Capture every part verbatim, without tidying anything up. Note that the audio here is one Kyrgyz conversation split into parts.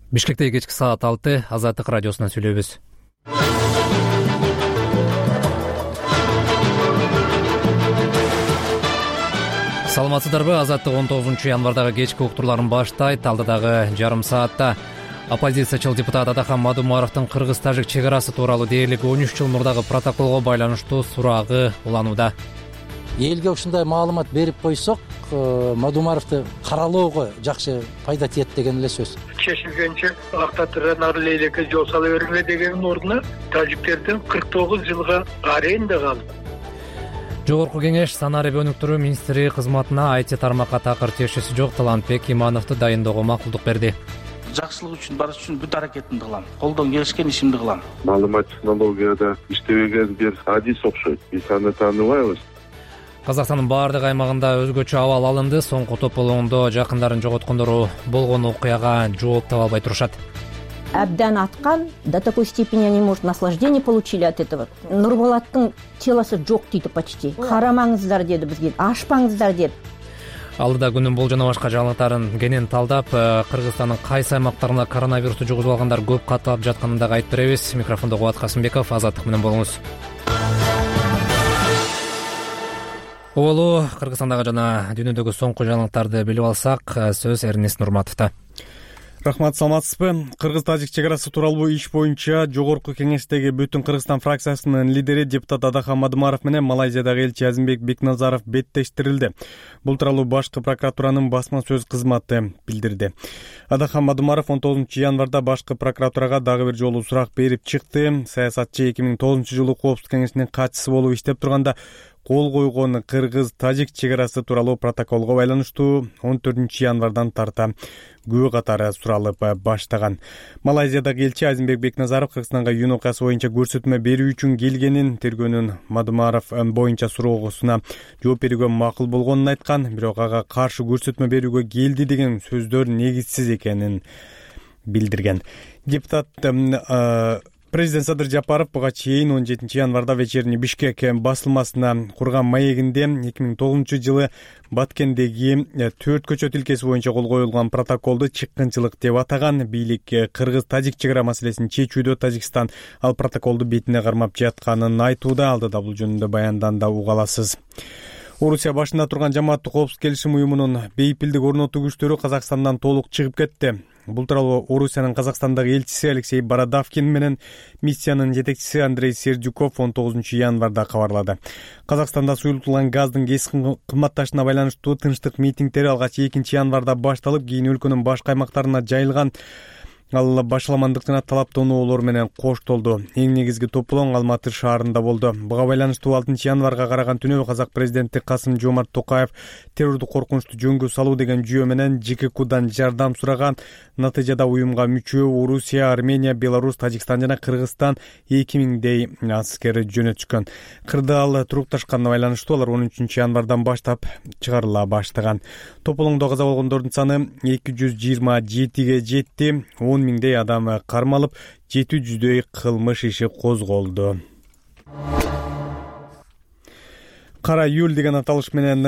Бишкекте кечки саат алты, Азаттык радиосунан сүйлөйбүз. Саламатсыздарбы? Азаттык он тогузунчу январдагы кечки уктурларын баштайт. Алдыдагы жарым саатта оппозициячыл депутат Адахан Мадумаровдун кыргыз-тажик чек арасы тууралуу дээрлик он үч жыл мурдагы протоколго байланыштуу сурагы уланууда. Элге ушундай маалымат берип койсок, Мадумаровду каралоого жакшы пайда тиет деген эле сөз. Чечилгенче актатырдан ары лейлекке жол сала бериңер дегенин ордуна тажиктердин кырк тогуз жылга аренда калды. Жогорку кеңеш санарип өнүктүрүү министри кызматына ай ти тармакка такыр тиешеси жок Талантбек Имановду дайындоого макулдук берди. Жакшылык үчүн барыш үчүн бүт аракетимди кылам. Колдон келишкен ишимди кылам. Маалымат технологияда иштебеген бир адис окшойт. Биз аны тааныбайбыз. Казакстандын баардык аймагында өзгөчө абал алынды. Соңку тополоңдо жакындарын жоготкондор болгон окуяга жооп таба албай турушат. Абдан аткан, до такой степени они, может, наслаждение получили от этого. Нурболаттын телосы жок дейт почти. Карамаңыздар деди бизге, ашпаңыздар деп. Алдыда күнүн бул жана башка жаңылыктарын кенен талдап, Кыргызстандын кайсы аймактарында коронавирусту жугузуп алгандар көп катталып жатканын дагы айтып беребиз. Микрофондо Кубат Касымбеков, Азаттык менен болуңуз. Оболу Кыргызстандагы жана дүйнөдөгү соңку жаңылыктарды билип алсак, сөз Эрнест Нурматовдо. Рахмат, саламатсызбы? Кыргыз-тажик чек арасы тууралуу иш боюнча Жогорку кеңештеги Бүтүн Кыргызстан фракциясынын лидери депутат Адахан Мадумаров менен Малайзиядагы элчи Азимбек Бекназаров беттештирилди. Бул тууралуу башкы прокуратуранын басма сөз кызматы билдирди. Адахан Мадумаров он тогузунчу январда башкы прокуратурага дагы бир жолу сурак берип чыкты. Саясатчы эки миң тогузунчу жылы Коопсуздук кеңешинин катчысы болуп иштеп турганда кол койгон кыргыз-тажик чек арасы тууралуу протоколго байланыштуу он төртүнчү январдан тарта күбө катары суралып баштаган. Малайзиядагы элчи Азимбек Бекназаров Кыргызстанга июнь окуясы боюнча көрсөтмө берүү үчүн келгенин, тергөөнүн Мадумаров боюнча суроосуна жооп берүүгө макул болгонун айткан, бирок ага каршы көрсөтмө берүүгө келди деген сөздөр негизсиз экенин билдирген. Депутат Президент Садыр Жапаров буга чейин он жетинчи январда вечерний Бишкек басылмасына курган маегинде эки миң тогузунчу жылы Баткендеги төрт көчөт илкеси боюнча кол коюлган протоколду чыккынчылык деп атаган. Бийлик кыргыз-тажик чек ара маселесин чечүүдө Тажикстан ал протоколду бетине кармап жатканын айтууда. Алдыда бул жөнүндө баянданда уга аласыз. Орусия башында турган Жамааттык коопсуздук келишим уюмунун бейпилдик орнотуу күчтөрү Казакстандан толук чыгып кетти. Бул тууралуу Орусиянын Казакстандагы элчиси Алексей Бородавкин менен миссиянын жетекчиси Андрей Сердюков он тогузунчу январда кабарлады. Казакстанда суюлтулган газдын кескин кымбатташына байланыштуу тынчтык митингдери алгач экинчи январда башталып, кийин өлкөнүн башка аймактарына жайылган. Ал башаламандык жана талаптоонуулор менен коштолду. Эң негизги тополоң Алматы шаарында болду. Буга байланыштуу алтынчы январга караган түнү Казак президенти Касым-Жомарт Токаев террордук коркунучту жөнгө салуу деген жүйө менен ЖККдан жардам сураган. Натыйжада уюмга мүчө Орусия, Армения, Беларусь, Тажикстан жана Кыргызстан эки миңдей аскер жөнөтүшкөн. Кырдаал турукташканына байланыштуу алар он үчүнчү январдан баштап чыгарыла баштаган. Тополоңдо каза болгондордун саны эки жүз жыйырма жетиге жетти. он миңдей адам кармалып, жети жүздөй кылмыш иши козголду. Кара июль деген аталыш менен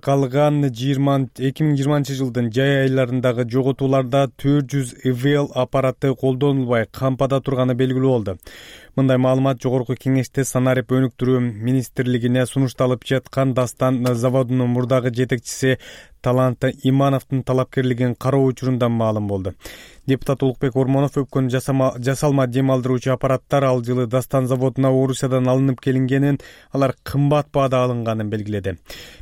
калган эки миң жыйырманчы жылдын жай айларындагы жоготууларда төрт жүз ИВЛ аппараты колдонулбай кампада турганы белгилүү болду. Мындай маалымат Жогорку кеңеште санарип өнүктүрүү министрлигине сунушталып жаткан Дастан заводунун мурдагы жетекчиси Талант Имановдун талапкерлигин кароо учурунда маалым болду. Депутат Улукбек Ормонов өпкөн жасалма дем алдыруучу аппараттар ал жылы Дастан заводуна Орусиядан алынып келингенин, алар кымбат баада алынганын белгиледи.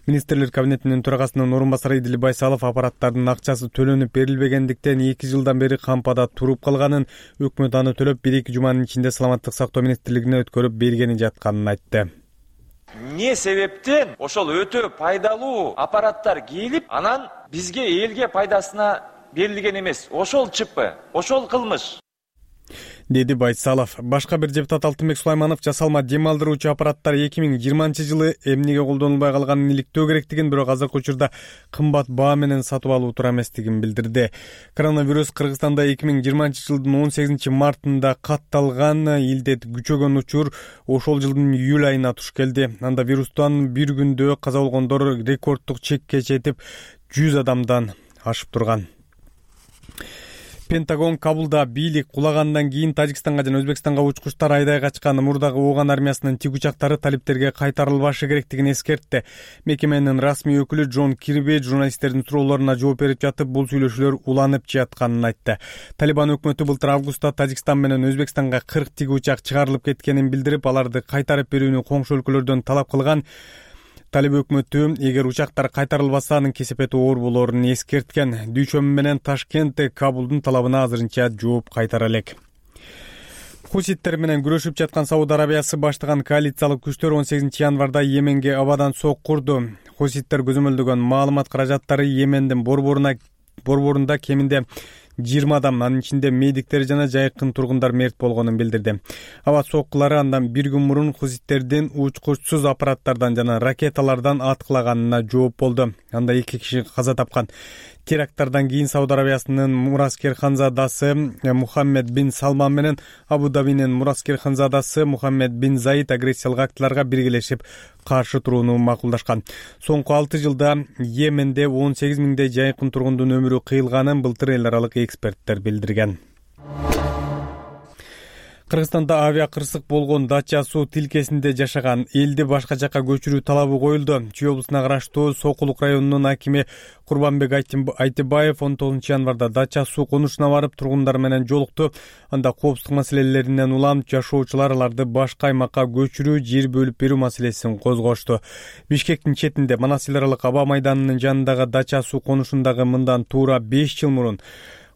Министрлер кабинетинин төрагасынын орун басары Идил Байсалов аппараттардын акчасы төлөнүп берилбегендиктен эки жылдан бери кампада туруп калганын, өкмөт аны төлөп бир эки жуманын ичинде саламаттык сактоо министрлигине өткөрүп бергени жатканын айтты. Не себептен ошол өтө пайдалуу аппараттар келип, анан бизге элге пайдасына берилген эмес. Ошол чыппы, ошол кылмыш. Деди Байсалов. Башка бир депутат Алтынбек Сулайманов жасалма дем алдыруучу аппараттар эки миң жыйырманчы жылы эмнеге колдонулбай калганын иликтөө керектигин, бирок азыркы учурда кымбат баа менен сатып алуу туура эместигин билдирди. Коронавирус Кыргызстанда эки миң жыйырманчы жылдын он сегизинчи мартында катталган. Илдет күчөгөн учур ошол жылдын июль айына туш келди. Анда вирустан бир күндө каза болгондор рекордтук чекке жетип жүз адамдан ашып турган. Пентагон Кабулда бийлик кулагандан кийин Тажикстанга жана Өзбекстанга учкучтар айдай качкан мурдагы Ооган армиясынын тик учактары талиптерге кайтарылбашы керектигин эскертти. Мекеменин расмий өкүлү Джон Кирби журналисттердин суроолоруна жооп берип жатып, бул сүйлөшүүлөр уланып жатканын айтты. Талибан өкмөтү былтыр августта Тажикстан менен Өзбекстанга кырк тик учак чыгарылып кеткенин билдирип, аларды кайтарып берүүнү коңшу өлкөлөрдөн талап кылган. Талиб өкмөтү эгер учактар кайтарылбаса анын кесепети оор болоорун эскерткен. Дүйшөмбү менен Ташкент Кабулдун талабына азырынча жооп кайтара элек. Хуситтер менен күрөшүп жаткан Сауд Арабиясы баштаган коалициялык күчтөр он сегизинчи январда Йеменге абадан сок курду. Хуситтер көзөмөлдөгөн маалымат каражаттары Йемендин борборуна борборунда кеминде жыйырма адам, анын ичинде медиктер жана жайкын тургундар мерт болгонун билдирди. Аба соккулары андан бир күн мурун хуситтердин учкучсуз аппараттардан жана ракеталардан аткылаганына жооп болду. Анда эки киши каза тапкан. Теракттардан кийин Сауд Арабиясынын мураскер ханзадасы Мухаммед бин Салман менен Абу Дабинин мураскер ханзадасы Мухаммед бин Заид агрессиялык актыларга биргелешип каршы турууну макулдашкан. Соңку алты жылда Йеменде он сегиз миңдей жайкын тургундун өмүрү кыйылганын былтыр эл аралык эксперттер билдирген. Кыргызстанда авиа кырсык болгон Дача суу тилкесинде жашаган элди башка жакка көчүрүү талабы коюлду. Чүй облусуна караштуу Сокулук районунун акими Курбанбек Айтыбаев он тогузунчу январда Дача суу конушуна барып тургундар менен жолукту. Анда коопсуздук маселелеринен улам жашоочулар аларды башка аймакка көчүрүү, жер бөлүп берүү маселесин козгошту. Бишкектин четинде Манас эл аралык аба майданынын жанындагы Дача суу конушундагы мындан туура беш жыл мурун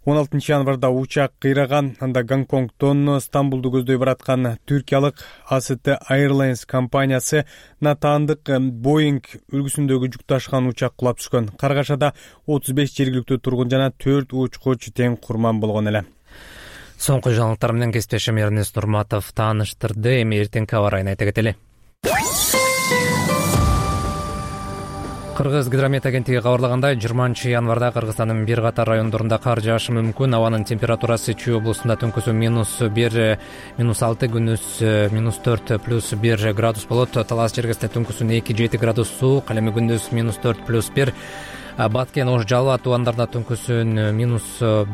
он алтынчы январда учак кыйраган. Анда Гонконгдон Стамбулду көздөй бараткан түркиялык А С Т Airlines компаниясы натаандык Boeing үлгүсүндөгү жүк ташыган учак кулап түшкөн. Каргашада отуз беш жергиликтүү тургун жана төрт учкуч тең курман болгон эле. Соңку жаңылыктар менен кесиптешим Эрнест Нурматов тааныштырды. Эми эртеңки аба ырайын айта кетели. Кыргыз гидромет агенттиги кабарлагандай, жыйырманчы январда Кыргызстандын бир катар райондорунда кар жаашы мүмкүн. Абанын температурасы Чүй облусунда түнкүсү минус бир, минус алты, күндүз минус төрт, плюс бир градус болот. Талас Чергесинде түнкүсүн эки жети градус суук, ал эми күндүз минус төрт, плюс бир. Баткен, Ош, Жалал тубандарында түнкүсүн минус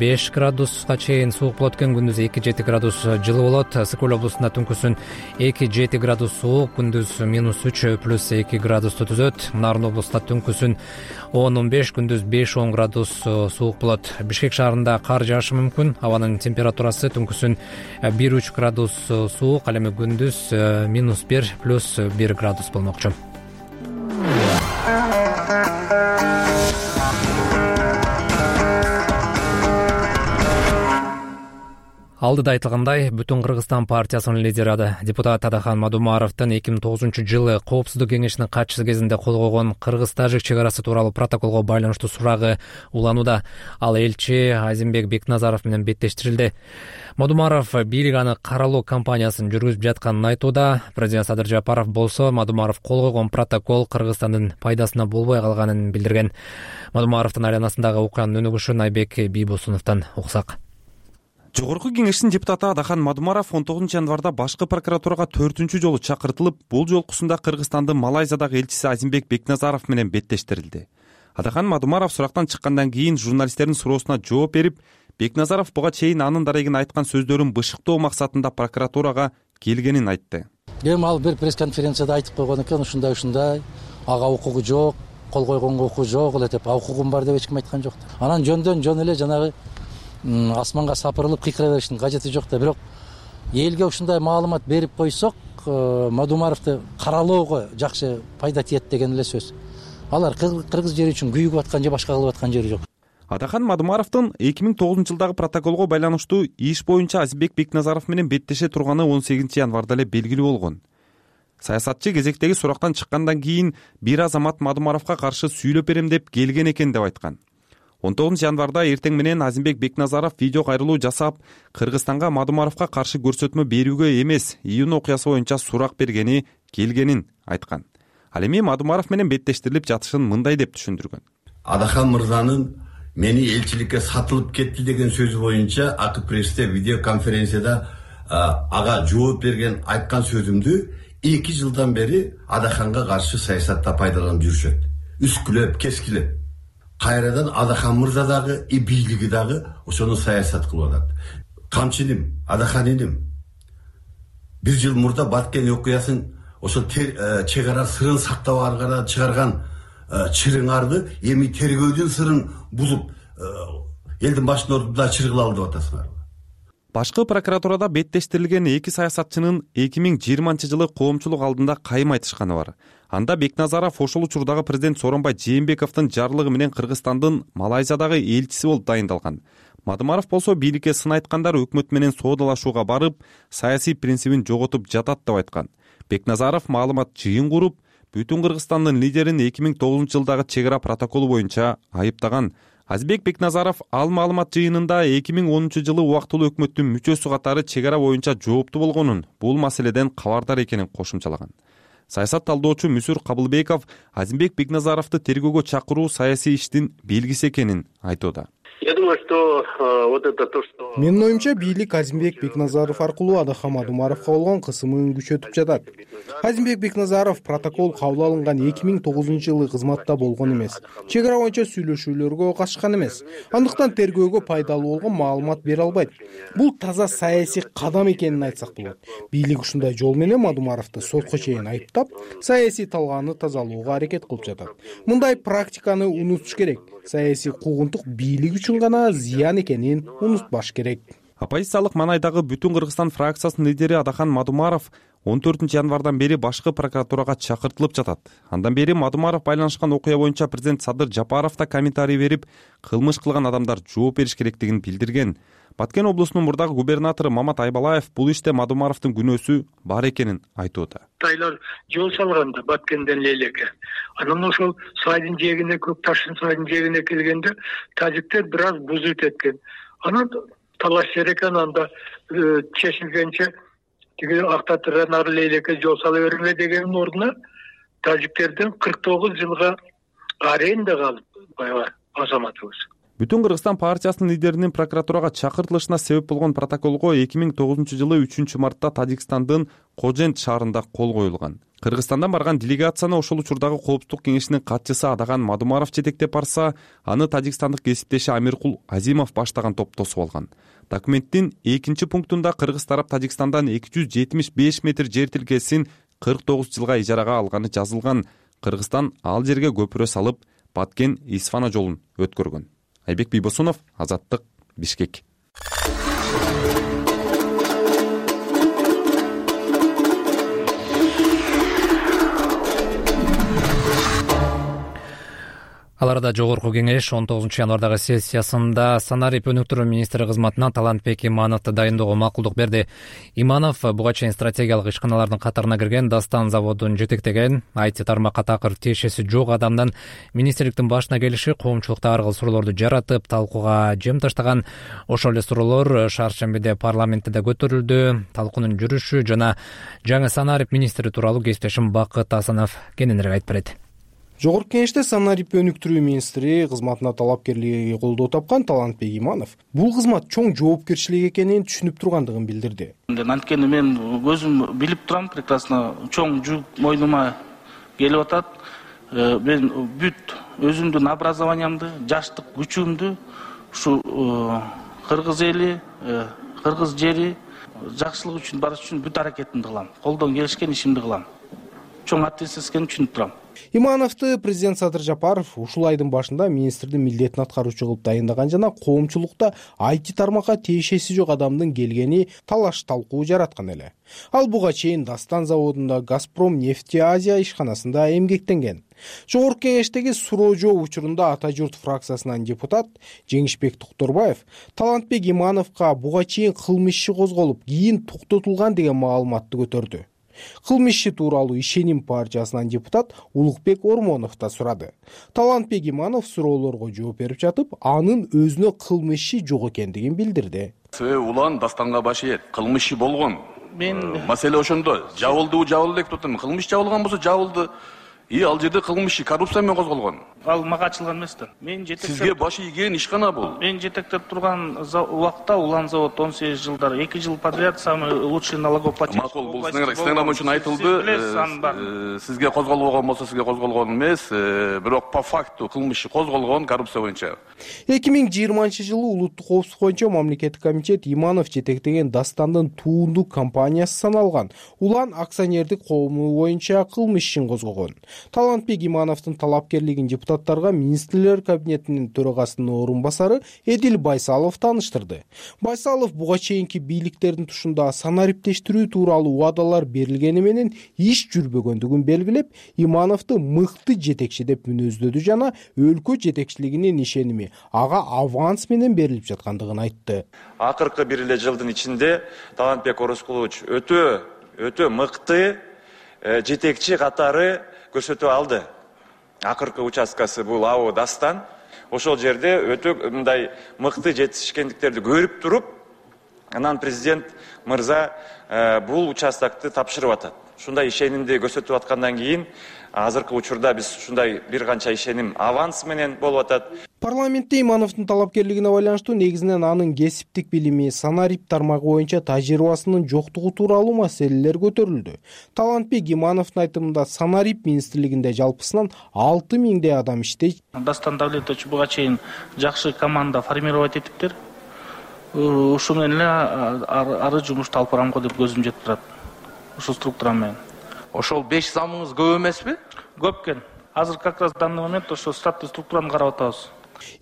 беш градуска чейин суук болот экен, күндүз эки жети градус жылы болот. Сыкөл облусунда түнкүсүн эки жети градус суук, күндүз минус үч, плюс эки градусту түзөт. Нарын облусунда түнкүсүн он он беш, күндүз беш он градус суук болот. Бишкек шаарында кар жаашы мүмкүн. Абанын температурасы түнкүсүн бир үч градус суук, ал эми күндүз минус бир, плюс бир градус болмокчу. Алдыда айтылгандай, Бүтүн Кыргызстан партиясынын лидери депутат Адахан Мадумаровдун эки миң тогузунчу жылы Коопсуздук кеңешинин катчысы кезинде кол койгон Кыргыз-Тажик чек арасы тууралуу протоколго байланыштуу сурагы уланууда. Ал элчи Азимбек Бекназаров менен беттештирилди. Мадумаров бийлик аны каралоо кампаниясын жүргүзүп жатканын айтууда. Президент Садыр Жапаров болсо Мадумаров кол койгон протокол Кыргызстандын пайдасына болбой калганын билдирген. Мадумаровдун айланасындагы окуянын өнүгүшүн Айбек Бийбосуновдон уксак. Жогорку кеңештин депутаты Адахан Мадумаров он тогузунчу январда башкы прокуратурага төртүнчү жолу чакыртылып, бул жолкусунда Кыргызстандын Малайзиядагы элчиси Азимбек Бекназаров менен беттештирилди. Адахан Мадумаров сурактан чыккандан кийин журналисттердин суроосуна жооп берип, Бекназаров буга чейин анын дарегин айткан сөздөрүн бышыктоо максатында прокуратурага келгенин айтты. Эми ал бир пресс-конференцияда айтып койгон экен, ушундай ушундай ага укугу жок, кол койгонго укугу жок эле деп, а укугум бар деп эч ким айткан жок. Анан жөндөн жөн эле жанагы асманга сапырылып кыйкыра бериштин кажети жок да. Бирок элге ушундай маалымат берип койсок, Мадумаровду каралоого жакшы пайда тиет деген эле сөз. Алар кыргыз жери үчүн күйүгүп аткан же башка кылып аткан жери жок. Адахан Мадумаровдун эки миң тогузунчу жылдагы протоколго байланыштуу иш боюнча Азимбек Бекназаров менен беттеше турганы он сегизинчи январда эле белгилүү болгон. Саясатчы кезектеги сурактан чыккандан кийин бир азамат Мадумаровго каршы сүйлөп берем деп келген экен деп айткан. он тогузунчу январда эртең менен Азимбек Бекназаров видео кайрылуу жасап, Кыргызстанга Мадумаровго каршы көрсөтмө берүүгө эмес, июнь окуясы боюнча сурак бергени, келгенин айткан. Ал эми Мадумаров менен беттештирилип жатышын мындай деп түшүндүргөн. Адахан мырзанын мени элчиликке сатылып кетти деген сөзү боюнча Ак престе видео конференцияда ага жооп берген айткан сөзүмдү эки жылдан бери Адаханга каршы саясатта пайдаланып жүрүшөт. Үскүлөп, кескилеп. кайрадан Адахан мырза дагы и бийлиги дагы ошону саясат кылып атат. Камчыним, Адахан иним бир жыл мурда Баткен окуясын ошол чек ара сырын сактап аргара чыгарган чырыңарды эми тергөөдүн сырын бузуп элдин башын ордуп чыргыла деп атасыңарбы? Башкы прокуратурада беттештирилген эки саясатчынын эки миң жыйырманчы жылы коомчулук алдында кайым айтышканы бар. Анда Бекназаров ошол учурдагы президент Сооронбай Жээнбековдун жарлыгы менен Кыргызстандын Малайзиядагы элчиси болуп дайындалган. Мадумаров болсо бийликке сын айткандар өкмөт менен соодалашууга барып, саясий принцибин жоготуп жатат деп айткан. Бекназаров маалымат жыйын куруп, бүтүн Кыргызстандын лидерин эки миң тогузунчу жылдагы чек ара протоколу боюнча айыптаган. Азизбек Бекназаров ал маалымат жыйынында эки миң онунчу жылы убактылуу өкмөттүн мүчөсү катары чек ара боюнча жооптуу болгонун, бул маселеден кабардар экенин кошумчалаган. Саясат талдоочу Мүсүр Кабылбеков Азизбек Бекназаровду тергөөгө чакыруу саясий иштин белгиси экенин айтууда. Я думаю, что вот это то, что... Менин оюмча, бийлик Азизбек Бекназаров аркылуу Адахан Мадумаровго болгон кысымын күчөтүп жатат. Азизбек Бекназаров протокол кабыл алынган эки миң тогузунчу жылы кызматта болгон эмес. Чек ара боюнча сүйлөшүүлөргө катышкан эмес. Андыктан тергөөгө пайдалуу болгон маалымат бере албайт. Бул таза саясий кадам экенин айтсак болот. Бийлик ушундай жол менен Мадумаровду сотко чейин айыптап, саясий талгааны тазалоого аракет кылып жатат. Мындай практиканы унутуш керек. Саясий куугунтук бийлик үчүн гана зыян экенин унутпаш керек. Оппозициялык Манайдагы Бүтүн Кыргызстан фракциясынын лидери Адахан Мадумаров он төртүнчү январдан бери башкы прокуратурага чакыртылып жатат. Андан бери Мадумаров байланышкан окуя боюнча президент Садыр Жапаров да комментарий берип, кылмыш кылган адамдар жооп бериш керектигин билдирген. Баткен облусунун мурдагы губернатору Мамат Айбалаев бул иште Мадумаровдун күнөөсү бар экенин айтууда. Тайлар жол салганда Баткенден Лейлеке. Анан ошол сайдын жээгине, Көк таштын сайдын жээгине келгенде тажиктер бир аз бузут эткен. Анан талаш экен, анда чечилгенче тиги Актатырдан ары Лейлеке жол сала бериңер дегенин ордуна тажиктерден кырк тогуз жылга аренда калып баягы азаматыбыз. Бүтүн Кыргызстан партиясынын лидеринин прокуратурага чакыртылышына себеп болгон протоколго эки миң тогузунчу жылы үчүнчү мартта Тажикстандын Кожент шаарында кол коюлган. Кыргызстандан барган делегацияны ошол учурдагы Коопсуздук кеңешинин катчысы Адахан Мадумаров жетектеп барса, аны тажикстандык кесиптеши Амиркул Азимов баштаган топ тосуп алган. Документтин экинчи пунктунда Кыргыз тарап Тажикстандан эки жүз жетимиш беш метр жер тилкесин кырк тогуз жылга ижарага алганы жазылган. Кыргызстан ал жерге көпүрө салып, Баткен-Исфана жолун өткөргөн. Айбек Бийбосунов, Азаттык, Бишкек. Ал арада жогорку кеңеш он тогузунчу январдагы сессиясында санарип өнүктүрүү министри кызматына Талантбек Имановду дайындоого макулдук берди. Иманов буга чейин стратегиялык ишканалардын катарына кирген, Дастан заводун жетектеген, ай ти тармакка такыр тиешеси жок адамдан министрликтин башына келиши коомчулукта ар кыл суроолорду жаратып, талкууга жем таштаган. Ошол эле суроолор шаршембиде парламентте да көтөрүлдү. Талкуунун жүрүшү жана жаңы санарип министри тууралуу кесиптешим Бакыт Асанов кененирээк айтып берет. Жогорку кеңеште санарип өнүктүрүү министри кызматына талапкерлиги колдоо тапкан Талантбек Иманов бул кызмат чоң жоопкерчилик экенин түшүнүп тургандыгын билдирди. Анткени мен өзүм билип турам, прекрасно чоң жүк мойнума келип атат. Мен бүт өзүмдүн образованиямды, жаштык күчүмдү ушу кыргыз эли, кыргыз жери жакшылык үчүн барыш үчүн бүт аракетимди кылам. Колдон келишкен ишимди кылам. Чоң ответственность экенин түшүнүп турам. Имановду президент Садыр Жапаров ушул айдын башында министрдин милдетин аткаруучу кылып дайындаган жана коомчулукта ай ти тармакка тиешеси жок адамдын келгени талаш талкуу жараткан эле. Ал буга чейин Дастан заводунда Газпром нефти Азия ишканасында эмгектенген. Жогорку кеңештеги суроо жооп учурунда Ата журт фракциясынан депутат Жеңишбек Токторбаев Талантбек Имановго буга чейин кылмыш иши козголуп, кийин токтотулган деген маалыматты көтөрдү. Кылмыш иши тууралуу Ишеним партиясынан депутат Улукбек Ормонов да сурады. Талантбек Иманов суроолорго жооп берип жатып, анын өзүнө кылмыш иши жок экендигин билдирди. Себеби улан Дастанга баш ийет. Кылмыш иши болгон. Мен маселе ошондо. Жабылды, жабылды деп турдум. Кылмыш жабылган болсо жабылды. и ал жерде кылмыш коррупция менен козголгон. Ал мага ачылган эмес да. Мен жетектеп Сизге башы ийген ишкана бул. Мен жетектеп турган убакта Улан завод он сегиз жылдар эки жыл подряд самый лучший налогоплательщик. Макул, бул стенограмма үчүн айтылды. Сизге козголбогон болсо сизге козголгон эмес, бирок по факту кылмыш козголгон коррупция боюнча. эки миң жыйырманчы жылы улуттук коопсуздук боюнча мамлекеттик комитет Иманов жетектеген Дастандын туунду компаниясы саналган Улан акционердик коому боюнча кылмыш ишин козгогон. Талантбек Имановдун талапкерлигин депутаттарга министрлер кабинетинин төрагасынын орун басары Эдил Байсалов тааныштырды. Байсалов буга чейинки бийликтердин тушунда санариптештирүү тууралуу убадалар берилгени менен иш жүрбөгөндүгүн белгилеп, Имановду мыкты жетекчи деп мүнөздөдү жана өлкө жетекчилигинин ишеними ага аванс менен берилип жаткандыгын айтты. Акыркы бир эле жылдын ичинде Талантбек Орозкулович өтө өтө мыкты жетекчи катары көрсөтүп алды. Акыркы участкасы бул АО Дастан. Ошол жерде өтө мындай мыкты жетишкендиктерди көрүп туруп, анан президент мырза бул участокты тапшырып атат. Ушундай ишенимди көрсөтүп аткандан кийин азыркы учурда биз ушундай бир канча ишеним аванс менен болуп атат. Парламентте Имановдун талапкерлигине байланыштуу негизинен анын кесиптик билими, санарип тармагы боюнча тажрыйбасынын жоктугу тууралуу маселелер көтөрүлдү. Талантбек Имановдун айтымында санарип министрлигинде жалпысынан алты миңдей адам иштейт. Дастан Давлетович буга чейин жакшы команда формировать этиптир. Ушу менен эле ары жумушту алып барамго деп көзүм жетип турат. Ушул структура менен. Ошол беш замыңыз көп эмеспи? Көп экен. Азыр как раз в данный момент ошо штаттуу структураны карап атабыз.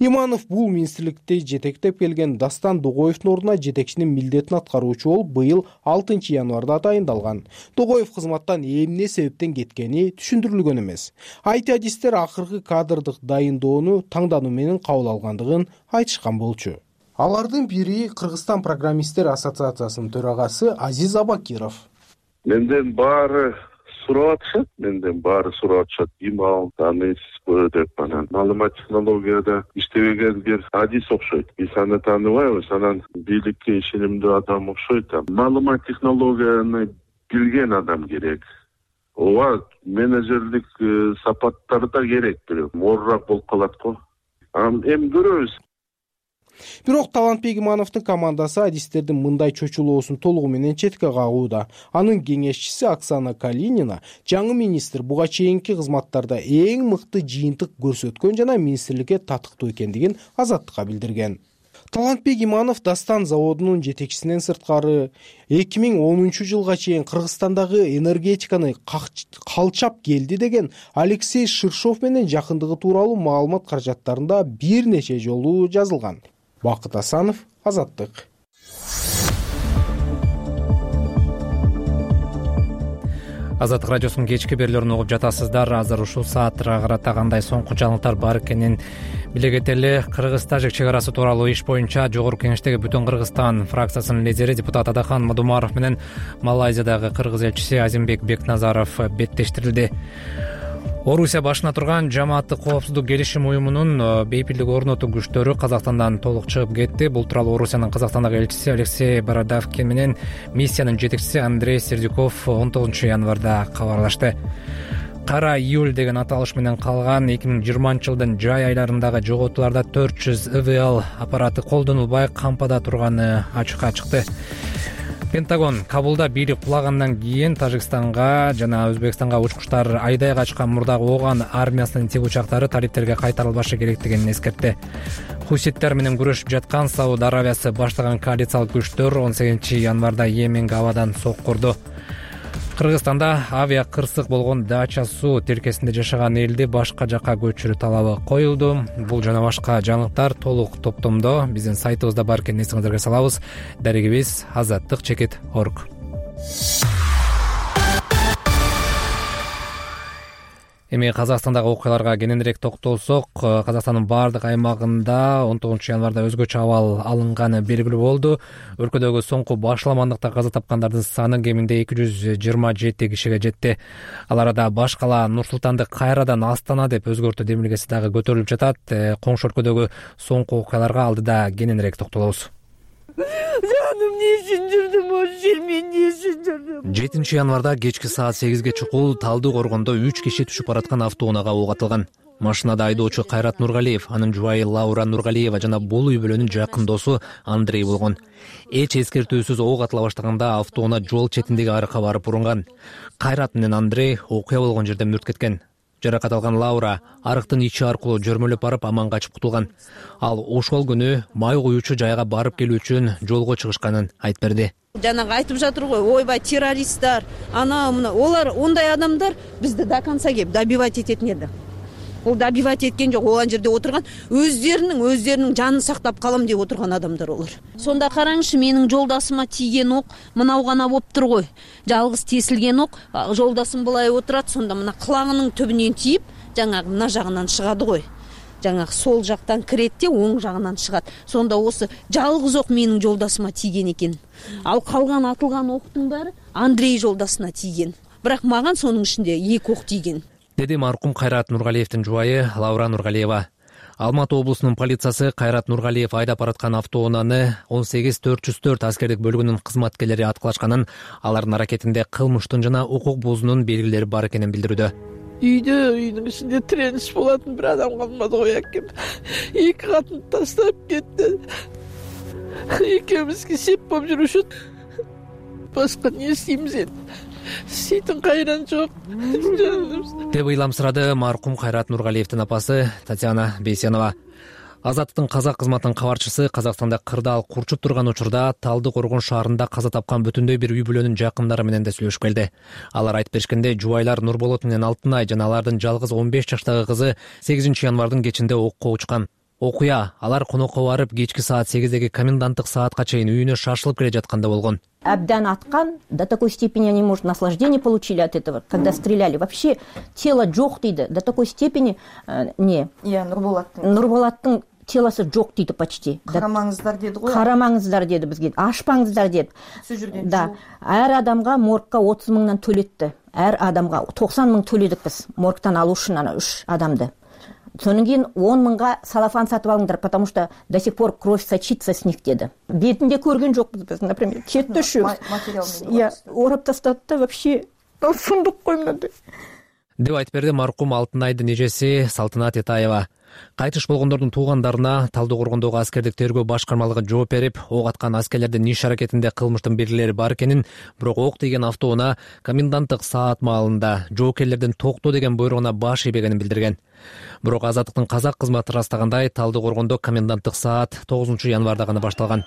Иманов бул министрликти жетектеп келген Дастан Догоевдун ордуна жетекчинин милдетин аткаруучу болуп быйыл алтынчы январда тайындалган. Догоев кызматтан эмне себептен кеткени түшүндүрүлгөн эмес. ай ти адистер акыркы кадрдык дайындоону таңдануу менен кабыл алгандыгын айтышкан болчу. Алардын бири Кыргызстан программисттер ассоциациясынын төрагасы Азиз Абакиров. Менден баары сурап атышат, менден баары сурап атышат. Имал, таанысызбы деп анан маалымат технологияда иштебеген бир адис окшойт. Биз аны тааныбайбыз, анан бийликке ишенимдүү адам окшойт. Маалымат технологияны билген адам керек. Ооба, менеджерлик сапаттар да керек, бирок моорурак болуп калат го. Эми көрөбүз. Бирок Талантбек Имановдун командасы адистердин мындай чочулоосун толугу менен четке кагууда. Анын кеңешчиси Оксана Калинина жаңы министр буга чейинки кызматтарда эң мыкты жыйынтык көрсөткөн жана министрликке татыктуу экендигин Азаттыкка билдирген. Талантбек Иманов Дастан заводунун жетекчисинен сырткары эки миң онунчу жылга чейин Кыргызстандагы энергетиканы калчап келди деген Алексей Ширшов менен жакындыгы тууралуу маалымат каражаттарында бир нече жолу жазылган. Бакыт Асанов, Азаттык. Азаттык радиосунун кечки берүүлөрүн угуп жатасыздар. Азыр ушул саатка карата кандай соңку жаңылыктар бар экенин биле кетели. Кыргыз-тажик чек арасы тууралуу иш боюнча Жогорку Кеңештеги Бүтүн Кыргызстан фракциясынын лидери депутат Адахан Мадумаров менен Малайзиядагы кыргыз элчиси Азимбек Бекназаров беттештирилди. Орусия башына турган Жамааттык коопсуздук келишим уюмунун бейпилдик орнотуу күчтөрү Казакстандан толук чыгып кетти. Бул тууралуу Орусиянын Казакстандагы элчиси Алексей Бородавкин менен миссиянын жетекчиси Андрей Сердюков он тогузунчу январда кабарлашты. Кара июль деген аталыш менен калган эки миң жыйырманчы жылдын жай айларындагы жоготууларда төрт жүз и вэ эл аппараты колдонулбай кампада турганы ачыкка чыкты. Пентагон Кабулда бийлик кулагандан кийин Тажикстанга жана Өзбекстанга учкучтар айдай качкан мурдагы Оган армиясынын тик учактары талиптерге кайтарылбашы керектигин эскертти. Хуситтер менен күрөшүп жаткан Сауд Аравиясы баштаган коалициялык күчтөр он сегизинчи январда Йеменге абадан соккурду. Кыргызстанда авиа кырсык болгон Дача суу тилкесинде жашаган элди башка жакка көчүрүү талабы коюлду. Бул жана башка жаңылыктар толук топтомдо биздин сайтыбызда бар экенин эсиңиздерге салабыз. Дарегибиз азаттык чекит точка орг. Эми Казакстандагы окуяларга кененирээк токтолсок, Казакстандын баардык аймагында он тогузунчу январда өзгөчө абал алынганы белгилүү болду. Өлкөдөгү соңку башаламандыкта каза тапкандардын саны кеминде эки жүз жыйырма жети кишиге жетти. Ал арада баш кала Нур Султанды кайрадан Астана деп өзгөртүү демилгеси дагы көтөрүлүп жатат. Коңшу өлкөдөгү соңку окуяларга алдыда кененирээк токтолобуз. Жаным эмне үчүн жүрдүм ошол жер, мен эмне үчүн жүрдүм? жетинчи январда кечки саат сегизге чукул Талды коргондо үч киши түшүп бараткан автоунаага ок атылган. Машинада айдоочу Кайрат Нургалиев, анын жубайы Лаура Нургалиева жана бул үй бүлөнүн жакын досу Андрей болгон. Эч эскертүүсүз ок атыла баштаганда автоунаа жол четиндеги арыкка барып урунган. Кайрат менен Андрей окуя болгон жерде мүрт кеткен. Жаракат алган Лаура арыктын ичи аркылуу жөрмөлөп барып аман качып кутулган. Ал ошол күнү май куюучу жайга барып келүү үчүн жолго чыгышканын айтып берди. Жанагы айтып жатыр го, ойбай террористтер, ана мына олар ондай адамдар бизди до конца кеп добивать этетін еді. Ол добивать эткен жок, ол жерде отурган өздеринин өздеринин жанын сактап калам деп отурган адамдар олар. Сонда караңызчы, менин жолдасыма тийген ок мынау гана болуптур го. Жалгыз тесилген ок, жолдасым былай отурат, сонда мына кылагынын түбүнөн тийип, жанагы мына жагынан чыгады го. Жаңағы сол жақтан кіретте оң жағынан шығат. Сонда осы жалғыз оқ менің жолдасыма тиген екен. Ал қалған атылған оқтың бәрі Андрей жолдасына тиген. Бірақ маған соның ішінде екі оқ тиген. Деди марқұм Кайрат Нургалиевтин жубайы Лаура Нургалиева. Алматы облусунун полициясы Кайрат Нургалиев айдап бараткан автоунааны он сегиз төрт жүз төрт аскердик бөлүгүнүн кызматкерлери аткылашканын, алардын аракетинде кылмыштын жана укук бузуунун белгилери бар экенин билдирүүдө. Үйдө, үйдүн ичинде тиреніш болатын бір адам қалмады ғой әкем. Екі қатын тастап кетті. Екеумізге сеп болып жүруші. Басқа не істейміз енді? Істейтін қайран жоқ. Деп ыйламсырады марқұм Кайрат Нургалиевтин апасы Татьяна Бейсенова. Азаттыктын казак кызматынын кабарчысы Казакстанда кырдаал курчуп турган учурда Талды коргон шаарында каза тапкан бүтүндөй бир үй бүлөнүн жакындары менен да сүйлөшүп келди. Алар айтып беришкенде, жубайлар Нурболот менен Алтынай жана алардын жалгыз он беш жаштагы кызы сегизинчи январдын кечинде окко учкан. Окуя алар конокко барып кечки саат сегиздеги коменданттык саатка чейин үйүнө шашылып келе жатканда болгон. Абдан аткан, до такой степени они, может, наслаждение получили от этого, когда стреляли. Вообще тело жок дейді, до такой степени э, не. Иә, Нурболаттың. Нурболаттың телосы жок дейді почти. Карамаңыздар деді ғой. Карамаңыздар деді бізге, ашпаңыздар деді. Да, әр адамға моргка отуз мыңнан төлетті. Әр адамға токсон мың төледік біз моргтан алу үшін ана үш адамды. Сонан кейін он мыңға салафан сатып алыңдар, потому что до сих пор кровь сочится с них деді. Бетінде көрген жоқпыз біз, например, кетті үшеу. Я орап тастады да вообще сұмдық қой мынандай. Деп айтып берди марқұм Алтынайдын эжеси Салтанат Этаева. Кайтыш болгондордун туугандарына Талды коргондогу аскердик тергөө башкармалыгы жооп берип, ок аткан аскерлердин иш аракетинде кылмыштын белгилери бар экенин, бирок ок тийген автоунаа коменданттык саат маалында жоокерлердин токто деген буйругуна баш ийбегенин билдирген. Бирок Азаттыктын казак кызматы ырастагандай, Талды коргондо коменданттык саат тогузунчу январда гана башталган.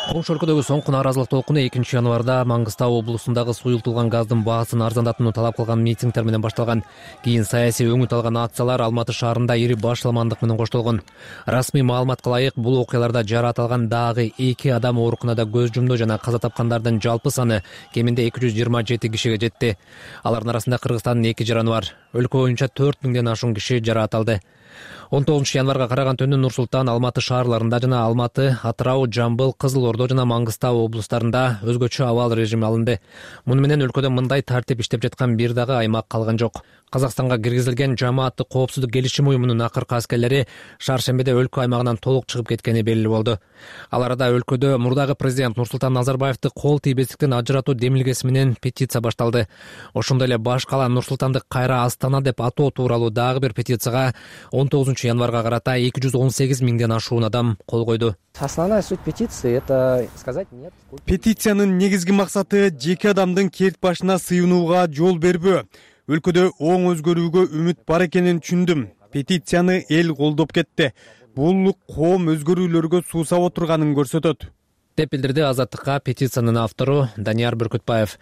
Коңшу өлкөдөгү соңку нааразылык толкуну экинчи январда Маңгыстау облусундагы суюлтулган газдын баасын арзандатууну талап кылган митингдер менен башталган. Кийин саясий өңүт алган акциялар Алматы шаарында ири башаламандык менен коштолгон. Расмий маалыматка ылайык, бул окуяларда жараат алган дагы эки адам оорукунада көз жумду жана каза тапкандардын жалпы саны кеминде эки жүз жыйырма жети кишиге жетти. Алардын арасында Кыргызстандын эки жараны бар. Өлкө боюнча төрт миңден ашуун киши жараат алды. он тогузунчу январга караган түнү Нур Султан, Алматы шаарларында жана Алматы, Атырау, Жамбыл, Кызыл Ордо жана Маңгыстау облустарында өзгөчө абал режими алынды. Муну менен өлкөдө мындай тартип иштеп жаткан бир дагы аймак калган жок. Казакстанга киргизилген Жамааттык коопсуздук келишим уюмунун акыркы аскерлери шаршембиде өлкө аймагынан толук чыгып кеткени белгилүү болду. Ал арада өлкөдө мурдагы президент Нурсултан Назарбаевди кол тийбестиктен ажыратуу демилгеси менен петиция башталды. Ошондой эле баш кала Нур Султанды кайра Астана деп атоо тууралуу дагы бир петицияга он тогузунчу январга карата эки жүз он сегиз миңден ашуун адам кол койду. Основная суть петиции — это сказать нет. Петициянын негизги максаты жеке адамдын керт башына сыйынууга жол бербөө. Өлкөдө оң өзгөрүүгө үмүт бар экенин түшүндүм. Петицияны эл колдоп кетти. Бул коом өзгөрүүлөргө суусап отурганын көрсөтөт. деп билдирди Азаттыкка петициянын автору Данияр Бүркүтбаев.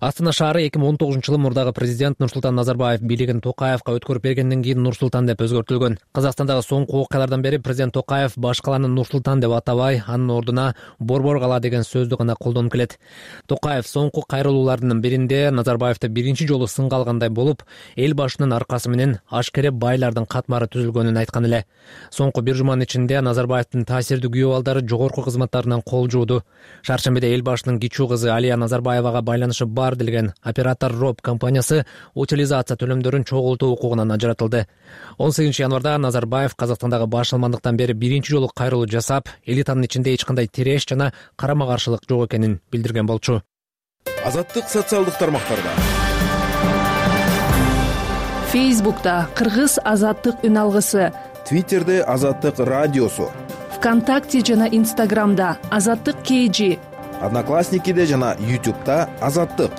Астана шаары эки миң он тогузунчу жылы мурдагы президент Нурсултан Назарбаев бийлигин Токаевка өткөрүп бергенден кийин Нурсултан деп өзгөртүлгөн. Казакстандагы соңку окуялардан бери президент Токаев баш каланы Нурсултан деп атабай, анын ордуна Борбор кала деген сөздү гана колдонуп келет. Токаев соңку кайрылуулардын биринде Назарбаевди биринчи жолу сынга алгандай болуп, эл башынын аркасы менен ашкере байлардын катмары түзүлгөнүн айткан эле. Соңку бир жуманын ичинде Назарбаевдин таасирдүү күйөө балдары жогорку кызматтарынан кол жылжууда. Шаршембиде эл башчынын кичүү кызы Алия Назарбаевага байланышы бар делген оператор Роб компаниясы утилизация төлөмдөрүн чогултуу укугунан ажыратылды. он сегизинчи январда Назарбаев Казакстандагы башалмандыктан бери биринчи жолу кайрылуу жасап, элитанын ичинде эч кандай тиреш жана карама-каршылык жок экенин билдирген болчу. Азаттык социалдык тармактарда. Фейсбукта Кыргыз азаттык үн алгысы, Твиттерде Азаттык радиосу, ВКонтакте жана Инстаграмда Азаттык кей жи, Одноклассникиде жана Ютубта Азаттык.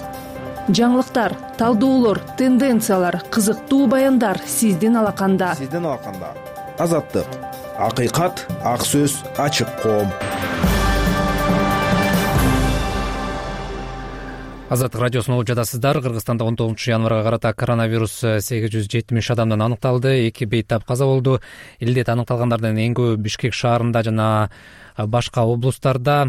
Жаңылыктар, талдоолор, тенденциялар, кызыктуу баяндар сиздин алаканда. Сиздин алаканда. Азаттык. Акыйкат, ак сөз, ачык коом. Азаттык радиосун угуп жатасыздар. Кыргызстанда он тогузунчу январга карата коронавирус сегиз жүз жетимиш адамдан аныкталды. Эки бейтап каза болду. Илдет аныкталгандардын эң көбү Бишкек шаарында жана башка облустарда.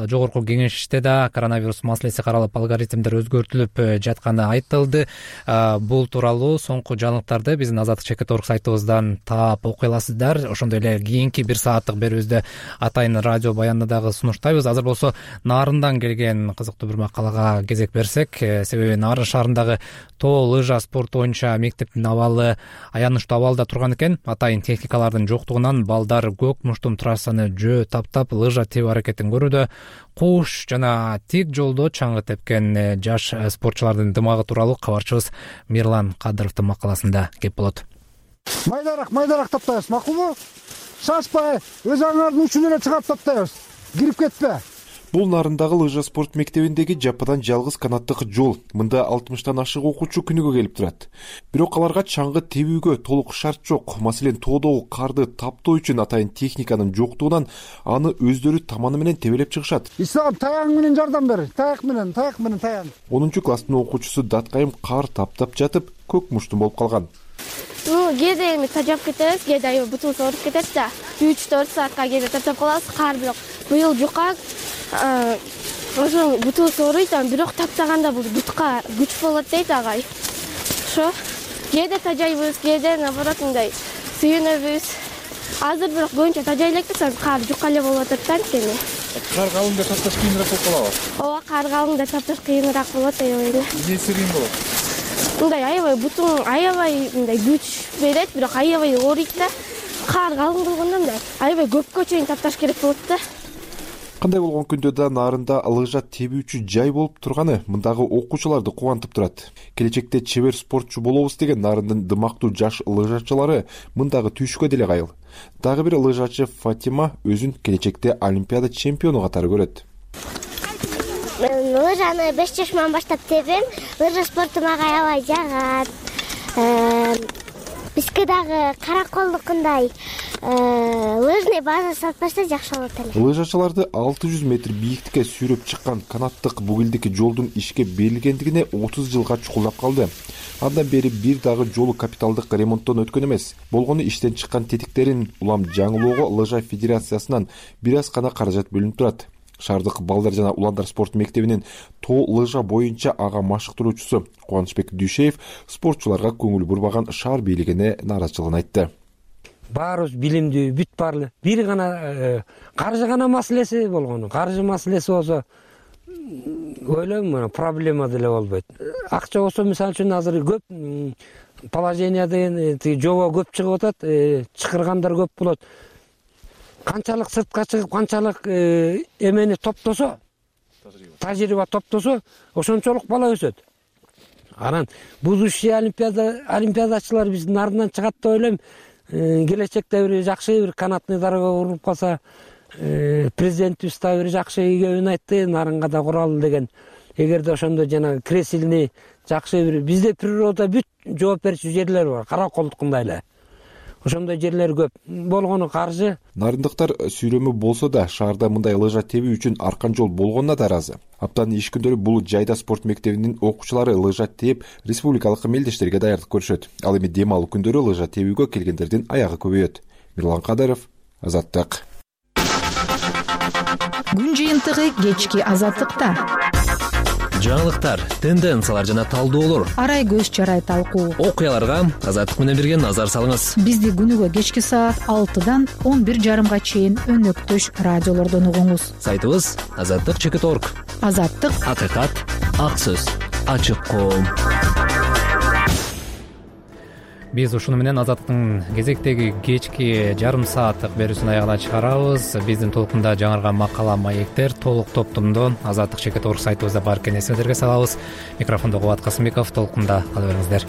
Жогорку кеңеште да коронавирус маселеси каралып, алгоритмдер өзгөртүлүп жатканы айтылды. Бул тууралуу соңку жаңылыктарды биздин Азаттык чекит точка орг сайтыбыздан таап окуй аласыздар. Ошондой эле кийинки бир сааттык берүүбүздө атайын радио баянды дагы сунуштайбыз. Азыр болсо Нарындан келген кызыктуу бир макалага кезек берсек, себеби Нарын шаарындагы тоо лыжа спорту боюнча мектептин абалы аянычтуу абалда турган экен. Атайын техникалардын жоктугунан балдар көк муштум трассаны жөө таптап лыжа тебүү аракетин көрүүдө. Куш жана тик жолдо чаңгы тепкен жаш спортчулардын дымагы тууралуу кабарчыбыз Мирлан Кадыровдун макаласында кеп болот. Майдарақ, майдарақ таптайбыз, макулбу? Шашпай, өз аңардын учун эле чыгап таптайбыз. Кирип кетпе. Бул Нарындагы лыжа спорт мектебиндеги жападан жалгыз канаттык жол. Мында алтымыштан ашык окуучу күнүгө келип турат. Бирок аларга чаңгы тебүүгө толук шарт жок. Маселен, тоодогу карды таптоо үчүн атайын техниканын жоктугунан аны өздөрү таманы менен тебелеп чыгышат. Ислам, таяң менен жардам бер. Таяк менен, таяк менен таян. онунчу класстын окуучусу Даткайым кар таптап жатып, көк муштум болуп калган. Ну, кээде эми тажап кетебиз, кээде аябай бутубуз ооруп кетет да. үч төрт саатка кээде таптап калабыз, кар бирок быйыл жука. Ошо бутубуз ооруйт, бирок таптаганда бул бутка күч болот дейт агай. Ошо кээде тажайбыз, кээде наоборот мындай сүйүнөбүз. Азыр бирок көбүнчө тажай элекпиз, кар жука эле болуп атат да анткени. Кар калыңда тапташ кыйыныраак болуп калабы? Ооба, кар калыңда тапташ кыйыныраак болот, аябай. Эмнеси кыйын болот? Мындай аябай бутуң аябай мындай күч берет, бирок аябай ооруйт да. Кар калың болгондо мындай аябай көпкө чейин тапташ керек болот да. Кандай болгон күндө да Нарында лыжа тебүүчү жай болуп турганы мындагы окуучуларды кубантып турат. Келечекте чебер спортчу болобуз деген Нарындын дымактуу жаш лыжачылары мындагы түйшүккө деле кайыл. Дагы бир лыжачы Фатима өзүн келечекте олимпиада чемпиону катары көрөт. Мен лыжаны беш жашыман баштап тебем. Лыжа спорту мага аябай жагат. Бизге дагы караколдукундай лыжный база сатпаса жакшы болот эле. Лыжачыларды алты жүз метр бийиктикке сүйрөп чыккан канаттык бугилдики жолдун ишке берилгендигине отуз жылга чукулдап калды. Андан бери бир дагы жолу капиталдык ремонттон өткөн эмес. Болгону иштен чыккан тетиктерин улам жаңылоого лыжа федерациясынан бир аз гана каражат бөлүнүп турат. Шаардык балдар жана уландар спорт мектебинин тоо лыжа боюнча ага машыктыруучусу Кубанычбек Дүйшеев спортчуларга көңүл бурбаган шаар бийлигине нааразычылыгын айтты. Баарыбыз билимдүү, бүт баары. Бир гана каржы гана маселеси болгону. Каржы маселеси болсо ойлойм, проблема деле болбойт. Акча болсо, мисалы үчүн азыр көп положение деген жобо көп чыгып атат, чакыргандар көп болот. Канчалык сыртка чыгып, канчалык эмени топтосо, тажрыйба топтосо, ошончолук бала өсөт. Анан будущий олимпиада олимпиадачылар биздин Нарындан чыгат деп ойлойм. Келечекте бир жакшы бир канатный дорога куруп калса, президентибиз да бир жакшы ийгебин айтты, Нарынга да куралы деген. Эгерде ошондо жана кресилный жакшы бир бизде природа бүт жооп берчү жерлер бар, караколдукундай эле. Ошондой жерлер көп. Болгону каржы. Нарындыктар сүйрөмү болсо да шаарда мындай лыжа тебүү үчүн аркан жол болгонуна да ыраазы. Аптанын иш күндөрү бул жайда спорт мектебинин окуучулары лыжа тээп республикалык мелдештерге даярдык көрүшөт. Ал эми дем алуу күндөрү лыжа тебүүгө келгендердин аягы көбөйөт. Мирлан Кадыров, Азаттык. Күн жыйынтыгы кечки Азаттыкта. жаңылыктар, тенденциялар жана талдоолор, арай көз чарай талкуу, окуяларга Азаттык менен бирге назар салыңыз. Бизди күнүгө кечки саат алтыдан он бир жарымга чейин өнөктөш радиолордон угуңуз. Сайтыбыз азаттык чекит точка орг. Азаттык, акыйкат, ак сөз, ачык коом. Биз ушуну менен Азаттыктын кезектеги кечки жарым сааттык берүүсүн аягына чыгарабыз. Биздин толкунда жаңырган макала, маектер толук топтомдо азаттык чекит точка орг сайтыбызда бар экенин эсиңиздерге салабыз. Микрофондо Кубат Касымбеков, толкунда кала бериңиздер.